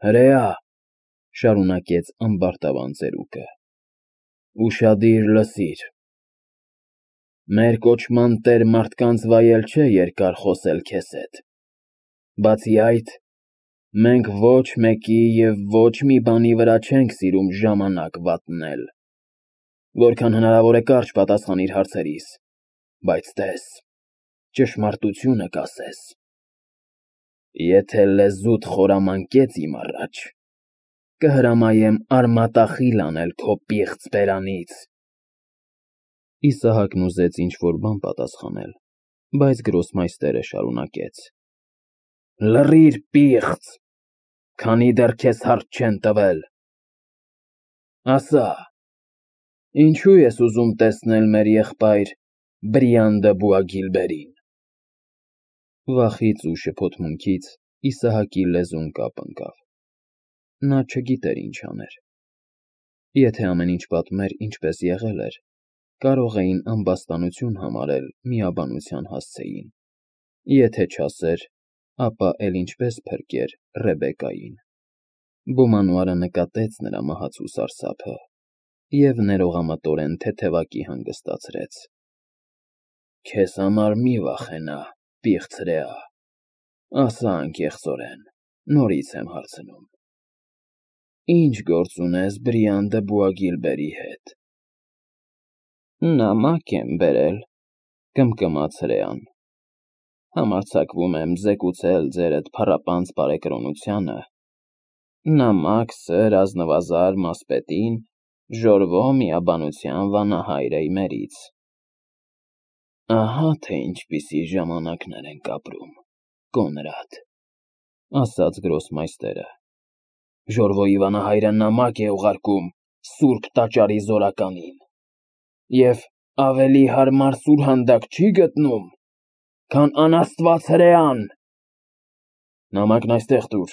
Հրեա, շարունակեց ամբարտավան ծերուկը, ուշադիր լսիր, մեր կոչման տեր մարդկանց վայել չէ երկար խոսել քեզ հետ, բացի այդ, մենք ոչ մեկի և ոչ մի բանի վրա չենք սիրում ժամանակ վատնել, որքան հնարավոր է կարճ պատասխանիր հարցերիս, բայց տես, ճշմարտությունը կասես, եթե լեզուդ խորամանկեց իմ առաջ, կհրամայեմ արմատախիլ անել քո պիղծ բերանից։ Իսահակն ուզեց ինչ-որ բան պատասխանել, բայց գրոսմայստերը շարունակեց. Լռիր, պիղծ, քանի դեռ քեզ հարց չեն տվել։ Ասա, ինչու ես ուզում տեսնել մեր եղբայր Բրիանդը Բուագիլբերին։ Վախից ու շփոթմունքից Իսահակի լեզուն կապ ընկավ։ Նա չգիտեր ինչ աներ։ Եթե ամեն ինչ պատմեր ինչպես եղել էր, կարող էին ամբաստանություն համարել միաբանության հասցեին։ Եթե չասեր, ապա էլ ինչպես փրկեր Ռեբեկային։ Բոմանուարը նկատեց նրա մահացու սարսափը և ներողամտորեն թեթևակի հանգստացրեց։ Քեզ համար մի վախենա, պիղծ հրեա, ասա անկեղծորեն, նորից եմ հարցնում։ Ինչ գործ ունես Բրիանդը Բուագիլբերի հետ։ Նամակ եմ բերել, կմկմաց հրեան։ Համարձակվում եմ զեկուցել ձերդ փառապանծ բարեկրոնությանը։ Նամակ սր ազնվազար մասպետին Ժորվո միաբանության վանահայր Էյմերից։ Ահա թե ինչպիսի ժամանակներ ենք ապրում, Կոնրադ, ասաց գրոսմայստերը։ Ժորվոյի վանահայրը նամակ է ուղարկում Սուրբ Տաճարի զորականին, և ավելի հարմար սուրհանդակ չի գտնում, քան անաստված հրեան։ Նամակն այստեղ տուր։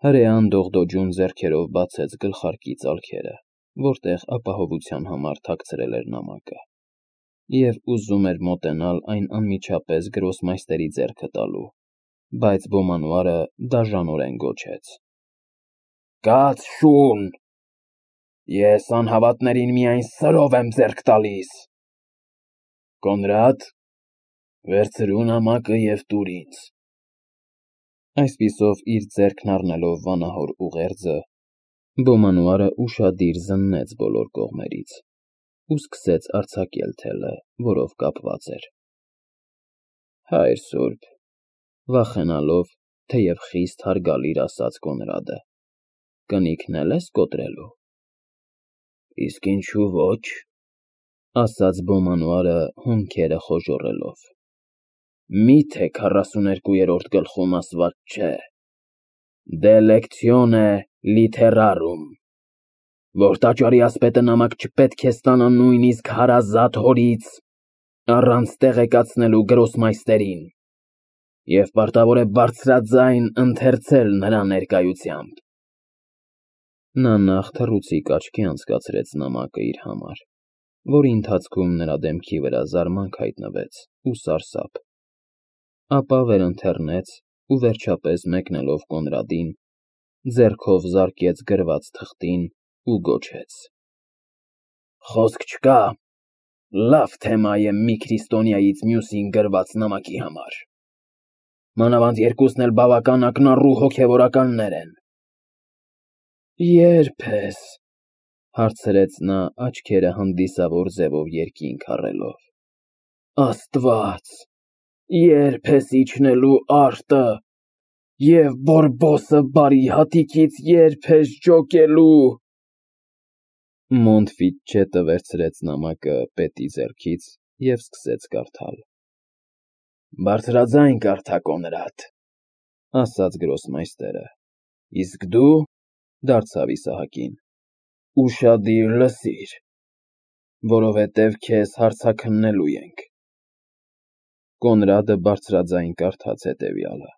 Հրեան դողդոջուն ձեռքերով բացեց գլխարկի ծալքերը, որտեղ ապահովության համար թաքցրել էր նամակը, և ուզում էր մոտենալ այն անմիջապես գրոսմայստերի ձեռքը տալու, բայց Բոմանուարը դաժանորեն գոչեց. Կաց շուն, ես անհավատներին միայն սրով եմ ձեռք տալիս։ Կոնրադ, վերցրու նամակը և տուր ինձ։ Այսպիսով իր ձեռքն առնելով վանահոր ուղերձը, Բոմանուարը ուշադիր զննեց բոլոր կողմերից ու սկսեց արձակել թելը, որով կապված էր։ Հայր սուրբ, վախենալով, թեև խիստ հարգալից ասաց Կոնրադը, կնիկն էլ ես կոտրելու։ Իսկ ինչու ոչ, ասաց Բոմանուարը հոնքերը խոժոռելով։ Միթե 42-րդ գլխում ասված չէ. De lectione literarum, որ տաճարի ասպետը նամակ չպետք է ստանա նույնիսկ հարազատ հորից, առանց տեղեկացնելու գրոսմայստերին, և պարտավոր է բարձրաձայն ընթերցել նրա ներկայությամբ։ Նա նախ թռուցիկ աչքի անցկացրեց նամակը իր համար, որի ընթացքում նրա դեմքի վրա զարմանք հայտնվեց ու սարսափ, ապա վերընթեռնեց ու վերջապես մեկնելով Կոնրադին, ձեռքով զարկեց գրված թղթին ու գոչեց. Խոսք չկա, լավ թեմա է մի քրիստոնյայից մյուսին գրված նամակի համար, մանավանդ երկուսն էլ բավական ակնառու հոգևորականներ են։ Ե՞րբ ես, հարցրեց նա աչքերը հանդիսավոր ձևով երկինք առելով։ Աստված, ե՞րբ ես իջնելու արտը, և Բորբոսը բարի հատիկից ե՞րբ ես ջոկելու։ Մոնտֆիտչետը վերցրեց նամակը պետի ձեռքից և սկսեց կարդալ։ Բարձրաձայն կարդա, Կոնրադ, ասաց գրոսմայստերը, իսկ դու, դարձավ Իսահակին, ուշադիր լսիր, որովհետև քեզ հարցաքննելու ենք։ Կոնրադը բարձրաձայն կարդաց հետևյալը.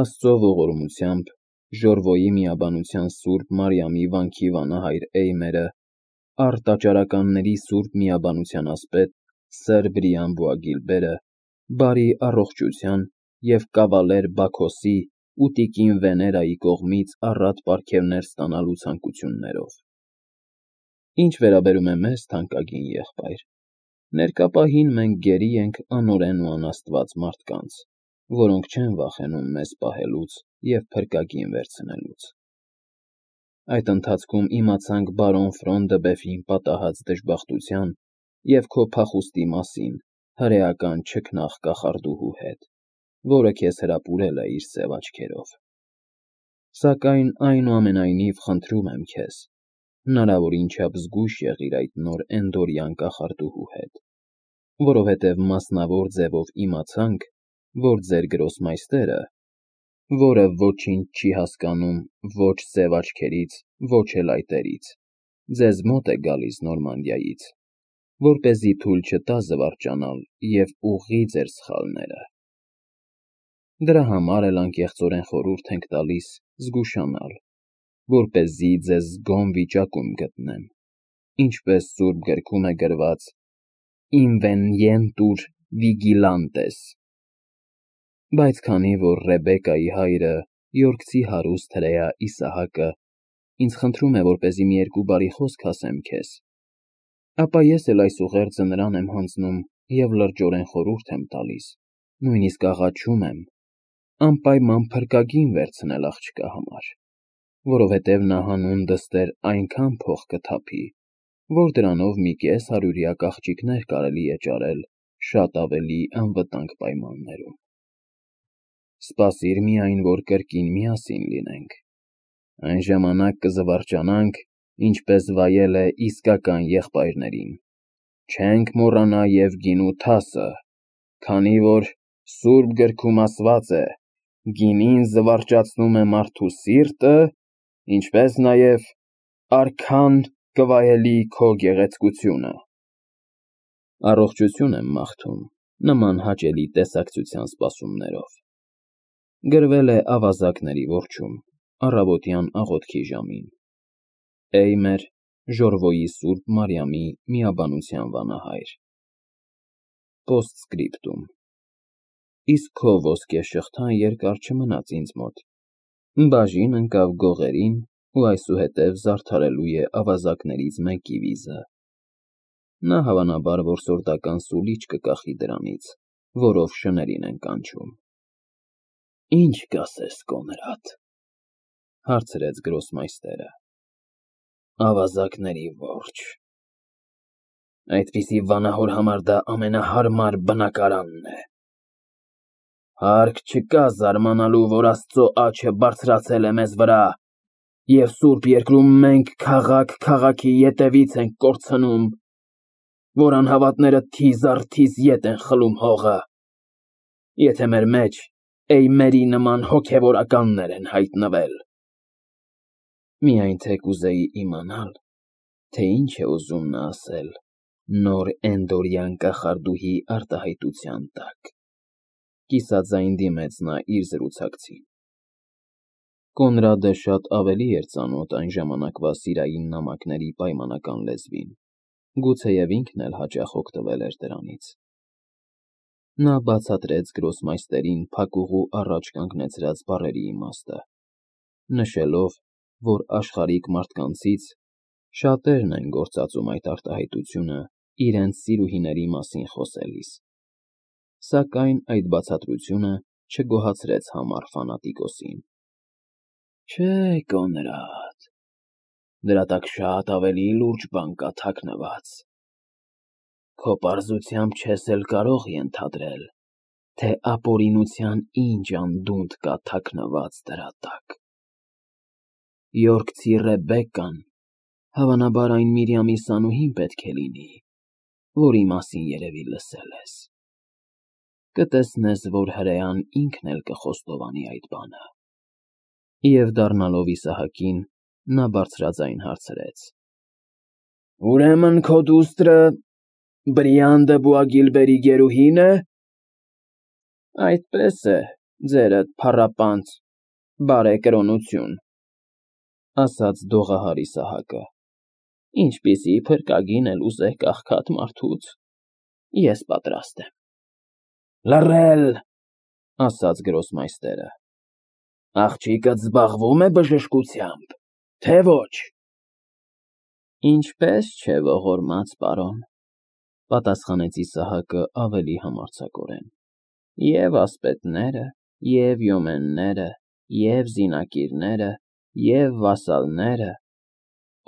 Աստծո ողորմությամբ Ժորվոյի միաբանության Սուրբ Մարիամի վանքի վանահայր Էյմերը, առտաճարականների Սուրբ միաբանության ասպետ Սր Բրիան Բուագիլբերը, բարի առողջության և կավալեր Բաքոսի ու տիկին Վեներայի կողմից առատ պարգևներ ստանալու ցանկություններով։ Ինչ վերաբերում է մեզ, թանկագին եղբայր, ներկա պահին մենք գերի ենք անօրեն ու անաստված մարդկանց, որոնք չեն վախենում մեզ պահելուց և փրկագին վերցնելուց։ Այդ ընթացքում իմացանք բարոն Ֆրոն դը Բեֆին պատահած դժբախտության և քո փախուստի մասին հրեական չքնաղ կախարդուհու հետ, որը քեզ հրապուրել է իր սև աչքերով։ Սակայն այնուամենայնիվ խնդրում եմ քեզ, հնարավորին չափ զգույշ եղիր այդ նոր էնդորյան կախարդուհու հետ, որովհետև մասնավոր ձևով իմացանք, որ ձեր գրոսմայստերը, որը ոչինչ չի հասկանում ոչ սև աչքերից, ոչ էլ այտերից, ձեզ մոտ է գալիս Նորմանդիայից, որպեսզի թույլ չտա զվարճանալ և ուղղի ձեր սխալները։ Դրա համար էլ անկեղծորեն խորհուրդ ենք տալիս զգուշանալ, որպեսզի ձեզ զգոն վիճակում գտնեմ, ինչպես Սուրբ Գրքում է գրված. «Invenientur vigilantes»։ Բայց քանի որ Ռեբեկայի հայրը, Յորքցի հարուստ հրեա Իսահակը, ինձ խնդրում է, որպեսզի մի երկու բարի խոսք ասեմ քեզ, ապա ես էլ այս ուղերձը նրան եմ հանձնում և լրջորեն խորհուրդ եմ տալիս, նույնիսկ աղաչում եմ, անպայման փրկագին վերցնել աղջկա համար, որովհետև նա հանուն դստեր այնքան փող կթափի, որ դրանով մի կես հարյուրյակ աղջիկներ կարելի է ճարել շատ ավելի անվտանգ պայմաններում։ Սպասիր միայն, որ կրկին միասին լինենք, այն ժամանակ կզվարճանանք, ինչպես վայել է իսկական եղբայրներին, չենք մոռանա և գինու թասը, քանի որ Սուրբ Գրքում ասված է. «Գինին զվարճացնում է մարդու սիրտը, ինչպես նաև արքան կվայելի քո գեղեցկությունը»։ Առողջություն եմ մաղթում նման հաճելի տեսակցության սպասումներով։ Գրվել է ավազակների որջում, առավոտյան աղոթքի ժամին։ Էյմեր, Ժորվոյի Սուրբ Մարիամի միաբանության վանահայր։ Պոստսկրիպտում։ Իսկ քո ոսկե շղթան երկար չմնաց ինձ մոտ, բաժին ընկավ գողերին ու այսուհետև զարդարելու է ավազակներից մեկի վիզը։ Նա հավանաբար որսորդական սուլիչ կկախի դրանից, որով շներին են կանչում։ Ինչ կասես, Կոնրադ, հարցրեց գրոսմայստերը։ Ավազակների որջը։ Այդպիսի վանահոր համար դա ամենահարմար բնակարանն է։ Հարկ չկա զարմանալու, որ Աստծո աջը բարձրացել է մեզ վրա, և Սուրբ Երկրում մենք քաղաք քաղաքի ետևից ենք կորցնում, որ անհավատները թիզ առ թիզ ետ են խլում հողը, եթե մեր մեջ Էյմերի նման հոգևորականներ են հայտնվել։ Միայն թե կուզեի իմանալ, թե ինչ է ուզում նա ասել նոր էնդորյան կախարդուհի արտահայտության տակ, կիսաձայն դիմեց նա իր զրուցակցին։ Կոնրադը շատ ավելի էր ծանոթ այն ժամանակվա սիրային նամակների պայմանական լեզվին, գուցեև ինքն էլ հաճախ օգտվել էր դրանից։ Նա բացատրեց գրոսմայստերին փակուղու առաջ կանգնեցրած բառերի իմաստը, նշելով, որ աշխարհիկ մարդկանցից շատերն են գործածում այդ արտահայտությունը իրենց սիրուհիների մասին խոսելիս, սակայն այդ բացատրությունը չգոհացրեց համառ ֆանատիկոսին։ Չէ, Կոնրադ, դրա տակ շատ ավելի լուրջ բան կա թաքնված։ Քո պարզությամբ չես էլ կարող ենթադրել, թե ապօրինության ինչ անդունդ կա թաքնված դրա տակ։ Յորքցի Ռեբեկկան հավանաբար այն Միրիամի սանուհին պետք է լինի, որի մասին երևի լսել ես։ Կտեսնես, որ հրեան ինքն էլ կխոստովանի այդ բանը։ Եվ դառնալով Իսահակին, նա բարձրաձայն հարցրեց. Ուրեմն քո դուստրը Բրիան դը Բուագիլբերի գերուհի՞ն է։ Այդպես է, ձերդ փառապանծ, բարեկրոնություն, ասաց դողահար Իսահակը։ Ինչպիսի փրկագին էլ ուզեք աղքատ մարդուց, ես պատրաստ եմ։ Լռել, ասաց գրոսմայստերը։ Աղջիկը զբաղվում է բժշկությամբ, թե ոչ։ Ինչպես չէ ողորմած պարոն, պատասխանեց Իսահակը ավելի համարձակորեն, և ասպետները, և յոմենները, և զինակիրները, և վասալները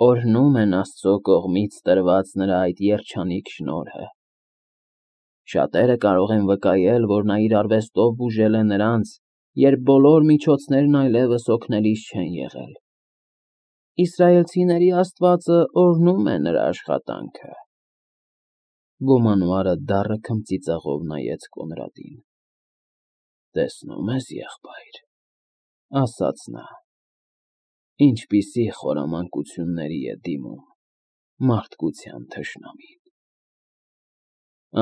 օրհնում են Աստծո կողմից տրված նրա այդ երջանիկ շնորհը։ Շատերը կարող են վկայել, որ նա իր արվեստով բուժել է նրանց, երբ բոլոր միջոցներն այլևս օգնելիս չեն եղել։ Իսրայելցիների Աստվածը օրհնում է նրա աշխատանքը։ Բոմանուարը դառը քմծիծաղով նայեց Կոնրադին։ Տեսնում ես, եղբայր, ասաց նա, ինչպիսի խորամանկությունների է դիմում մարդկության թշնամին։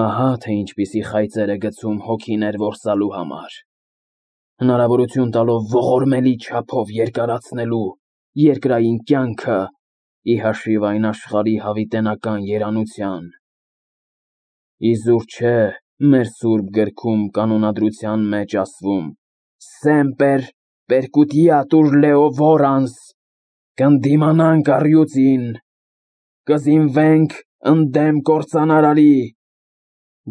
Ահա թե ինչպիսի խայծեր է գցում հոգիներ որսալու համար, հնարավորություն տալով ողորմելի չափով երկարացնելու երկրային կյանքը ի հաշիվ այն աշխարհի հավիտենական երանության։ Իզուր չէ մեր սուրբ գրքում կանոնադրության մեջ ասվում. «Semper percutiatur leo vorans», կնդիմանանք առյուծին, կզինվենք ընդդեմ կործանարարի,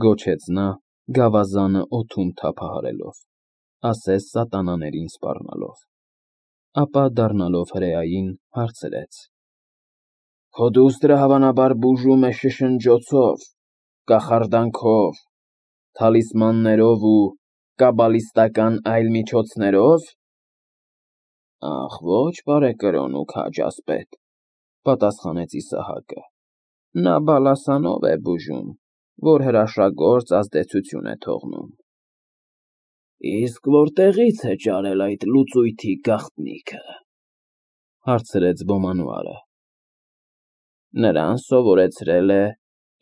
Գոչեց նա, գավազանը օդում թափահարելով, ասես սատանաներին սպառնալով, ապա դառնալով հրեային հարցրեց. Քո դուստրը հավանաբար բուժում է շշնջոցով, կախարդանքով, թալիսմաններով ու կաբալիստական այլ միջոցներով։ Ախ, ոչ, բարեկրոն ու քաջ ասպետ, պատասխանեց Իսահակը, նա բալասանով է բուժում, որ հրաշագործ ազդեցություն է թողնում։ Իսկ որտեղի՞ց է ճարել այդ լուծույթի գաղտնիքը, հարցրեց Բոմանուարը։ Նրան սովորեցրել է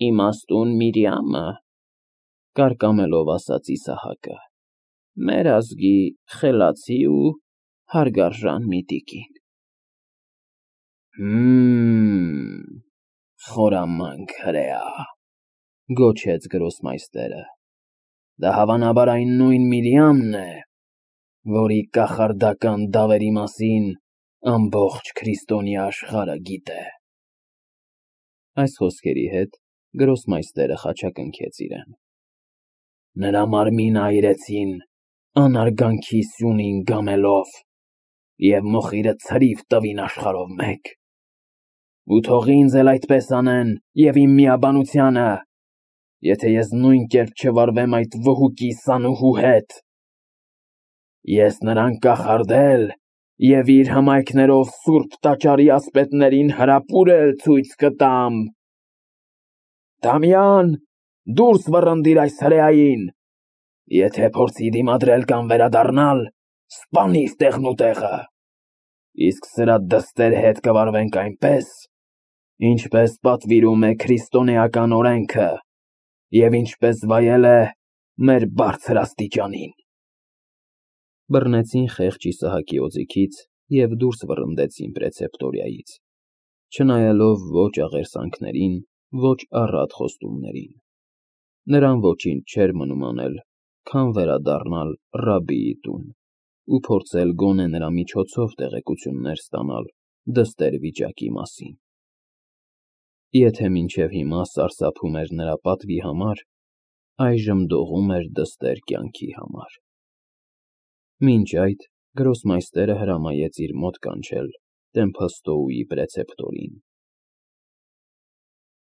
իմաստուն Միրիամը, կարկամելով ասաց Իսահակը, մեր ազգի խելացի ու հարգարժան մի տիկին։ Խորամանկ հրեա, գոչեց գրոսմայստերը։ Դա հավանաբար այն նույն Միրիամն է, որի կախարդական դավերի մասին ամբողջ քրիստոնյա աշխարհը գիտե։ Այս խոսքերի հետ գրոսմայստերը խաչակնքեց իրեն։ Նրա մարմինը այրեցին անարգանքի սյունին գամելով և մոխիրը ցրիվ տվին աշխարհով մեկ։ Ու թող ինձ էլ այդպես անեն և իմ միաբանությանը, եթե ես նույն կերպ չվարվեմ այդ վհուկի սանուհու հետ։ Ես նրան կախարդել և իր հմայքներով սուրբ տաճարի ասպետներին հրապուրել ցույց կտամ։ Դամյան, դուրս վռնդիր այս հրեային, եթե փորձի դիմադրել կամ վերադառնալ, սպանիր տեղնուտեղը, իսկ սրա դստեր հետ կվարվենք այնպես, ինչպես պատվիրում է քրիստոնեական օրենքը և ինչպես վայել է մեր բարձր աստիճանին։ Բռնեցին խեղճ Իսահակի օձիքից և դուրս վռնդեցին պրեցեպտորիայից, չնայելով ոչ աղերսանքներին, ոչ առատ խոստումներին։ Նրան ոչինչ չէր մնում անել, քան վերադառնալ ռաբբիի տուն ու փորձել գոնե նրա միջոցով տեղեկություններ ստանալ դստեր վիճակի մասին։ Եթե մինչև հիմա սարսափում էր նրա պատվի համար, այժմ դողում էր դստեր կյանքի համար։ Մինչ այդ գրոսմայստերը հրամայեց իր մոտ կանչել Տեմփստոուի պրեցեպտորին։